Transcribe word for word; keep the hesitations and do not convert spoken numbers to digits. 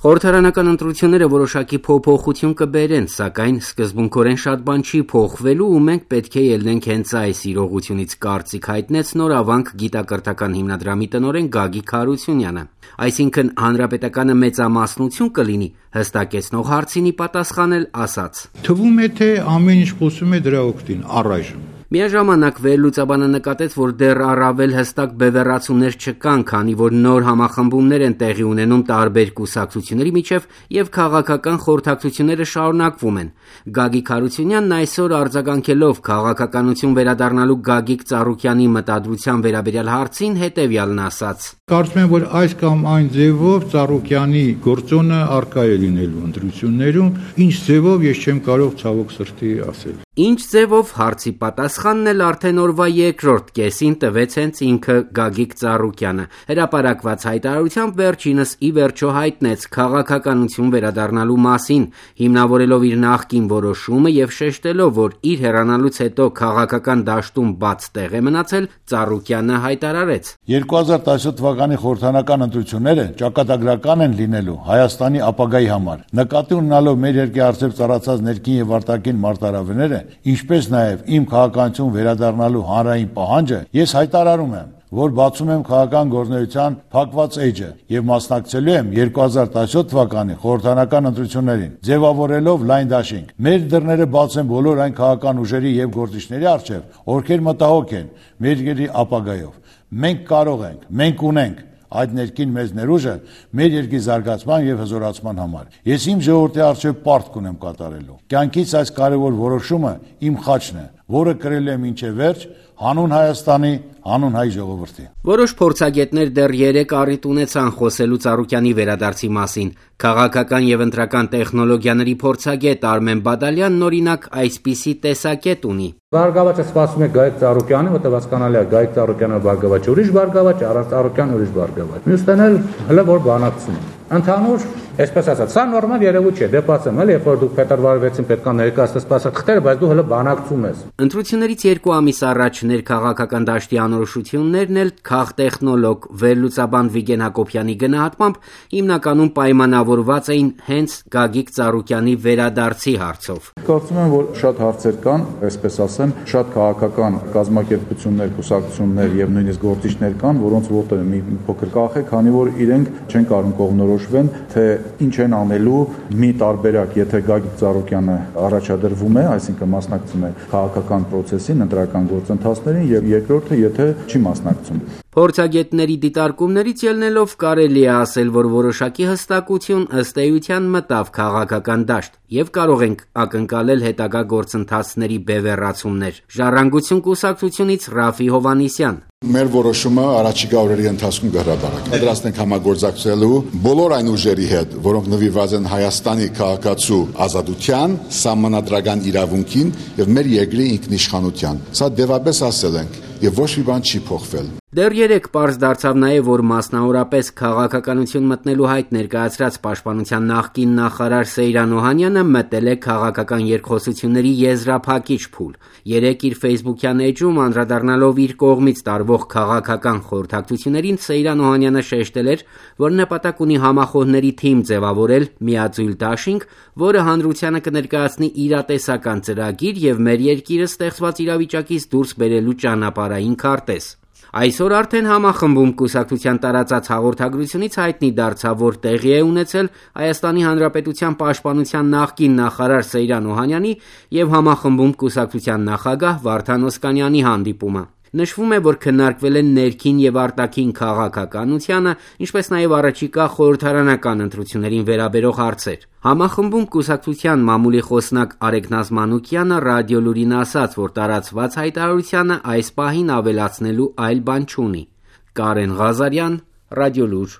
Խորհրդարանական ընտրությունները որոշակի փոփոխություն կբերեն, սակայն սկզբունքորեն շատ բան չի փոխվելու ու մենք պետք է ելնենք հենց այս իրողությունից, կարծիք հայտնեց Նորավանք գիտակրթական հիմնադրամի տնօրեն Գագիկ Հարությունյանը։ Այսինքն հանրապետականը մեծամասնություն կլինի, հստակեցնող հարցինի պատասխանել ասաց. Թվում է, թե ամեն ինչ խոսում է դրա օգտին առայժմ։ Միաժամանակ վերլուծաբանը նկատեց, որ դեռ առավել հստակ բևեռացումներ չկան, քանի որ նոր համախմբումներ են տեղի ունենում տարբեր կուսակցությունների միջև եւ քաղաքական խորհրդակցությունները շարունակվում են։ Գագիկ Հարությունյանն այսօր արձագանքելով քաղաքականություն վերադառնալու Գագիկ Ծառուկյանի մտադրության վերաբերյալ հարցին հետեւյալն ասաց. Կարծում եմ, որ այս կամ այն ձևով Ծառուկյանի գործոնը առկա է լինելու ընտրություններում, ինչ ձևով ես չեմ կարող ցավոք սրտի ասել։ Ինչ ձևով հարցի պատասխանն էլ արդեն օրվա երկրորդ կեսին տվեց հենց ինքը Գագիկ Ծառուկյանը։ Հրապարակված հայտարարությամբ վերջինս ի վերջո հայտնեց քաղաքականություն վերադառնալու մասին, հիմնավորելով իր նախկին որոշումը եւ շեշտելով, որ իր հեռանալուց հետո քաղաքական դաշտում բաց տեղ է մնացել, Ծառուկյանը հայտարարեց. երկու հազար տասնյոթ թվականի խորհրդարանական ընտրությունները ճակատագրական են լինելու Հայաստանի ապագայի համար։ Նկատի ունենալով մեր երկրի առջև ծառացած ներքին եւ արտաքին մարտահրավերները, ինչպես նաև իմ քաղաքականություն վերադառնալու հանրային պահանջը, ես հայտարարում եմ, որ բացում եմ քաղաքական գործունեության փակված էջը եւ մասնակցելու եմ երկու հազար տասնյոթ թվականի խորհրդարանական ընտրություններին, ձևավորելով լայն դաշինք։ Մեր դռները բաց են բոլոր այն քաղաքական ուժերի եւ գործիչների առջև, ովքեր մտահոգ են մեր երկրի ապագայով։ Մենք կարող ենք, մենք ունենք այդ ներքին մեծ ներուժը մեր երկրի զարգացման եւ հզորացման համար։ Ես իմ ժողովրդի առջև պարտք ունեմ կատարելու։ Կյանքից այս կարևոր որոշումը իմ խաչն է, որը կրել եմ ինչե վերջ հանուն Հայաստանի, հանուն հայ ժողովրդի։ Որոշ փորձագետներ դեռ երեք առիթ ունեցան խոսելու Ծառուկյանի վերադարձի մասին։ Քաղաքական եւ ընտրական տեխնոլոգիաների փորձագետ Արմեն Բադալյանն օրինակ այսպիսի տեսակետ ունի։ Բարգավաճը սպասում է Գագիկ Ծառուկյանի, որտեղ հասկանալի է Գագիկ Ծառուկյանը բարգավաճ ուրիշ բարգավաճ, Արաս Ծառուկյան ուրիշ բարգավաճ։ Մյուսներն էլ հələ որ բանակցում են։ Ընդհանուր, այսպես ասած, սա նորմալ երևույթ չէ, դեպացեմ, էլի, երբ որ դուք փետրվարի վեցին պետք է ներկայացնես սպասարկղերը, բայց դու հələ բանակցում ես։ Ընտրություններից երկու ամիս առաջ ներքաղաքական դաշտի անորոշություններն էլ քաղտեխնոլոգ վերլուծաբան Վիգեն Հակոբյանի գնահատմամբ հիմնականում պայմանավորված էին հենց Գագիկ Ծառուկյանի վերադարձի հարցով։ Կարծում եմ, որ շատ հարցեր կան, այսպես ասեմ, շատ քաղաքական կազմակերպություններ, կուսակցություններ եւ նույնիսկ գործիչներ կան, որոնց ոտը մի փոքր կախ է, քանի որ իրենք չեն կարող կողմնորոշվեն, թե ինչ են անելու մի տարբերակ, եթե Գագիկ Ծառուկյանը առաջադրվում է, այսինքն մասնակցում է քաղաքական process-ին, ընտրական գործընթացներին, եւ երկրորդը, եթե չի մասնակցում։ Փորձագետների դիտարկումներից ելնելով կարելի է ասել, որ որոշակի հստակություն ըստ էության մտավ քաղաքական դաշտ եւ կարող ենք ակնկալել հետագա գործընթացների բևեռացումներ։ Ժառանգություն կուսակցությունից Ռաֆի Հովանիսյան. Մեր որոշումը առաջիկա օրերի ընթացքում կհրապարակվի։ Պատրաստ ենք համագործակցելու բոլոր այն ուժերի հետ, որոնք նվիրված են Հայաստանի քաղաքացու ազատության, սահմանադրական իրավունքին եւ մեր երկրի ինքնիշխանության։ Սա դեպապես ասել ենք եւ ոչ մի բան չի փոխվել։ Դեռ երեք պարզ դարձավ նաև, որ մասնավորապես քաղաքականություն մտնելու հայտ ներկայացրած պաշտպանության նախկին նախարար Սեյրան Օհանյանը մտել է քաղաքական երկխոսությունների եզրափակիչ փուլ։ Երեք իր ֆեյսբուքյան էջում անդրադառնալով իր կողմից տարվող քաղաքական խորհրդակցություններին Սեյրան Օհանյանը շեշտել էր, որ նպատակ ունի համախոհների թիմ ձևավորել միաձույլ դաշինք, որը հանրությանը կներկայացնի իրատեսական ծրագիր եւ մեր երկիրը ստեղծված իրավիճակից դուրս բերելու ճանապարհային քարտեզ։ Այսօր արդեն համախմբում կուսակցության տարածած հաղորդագրությունից հայտնի դարձավ, որ տեղի է ունեցել Հայաստանի Հանրապետության պաշտպանության նախկին նախարար Սեյրան Օհանյանի եւ համախմբում կուսակցության նախագահ Վարդան Օսկանյանի հանդիպումը։ Նշվում է, որ քննարկվել են ներքին եւ արտաքին քաղաքականությանը, ինչպես նաեւ առաջիկա խորհրդարանական ընտրություններին վերաբերող հարցեր։ Համախմբում կուսակցության մամուլի խոսնակ Արեգնազ Մանուկյանը ռադիո լուրին ասաց, որ տարածված հայտարարությանը այս պահին ավելացնելու այլ բան չունի։ Կարեն Ղազարյան, Ռադիո լուր։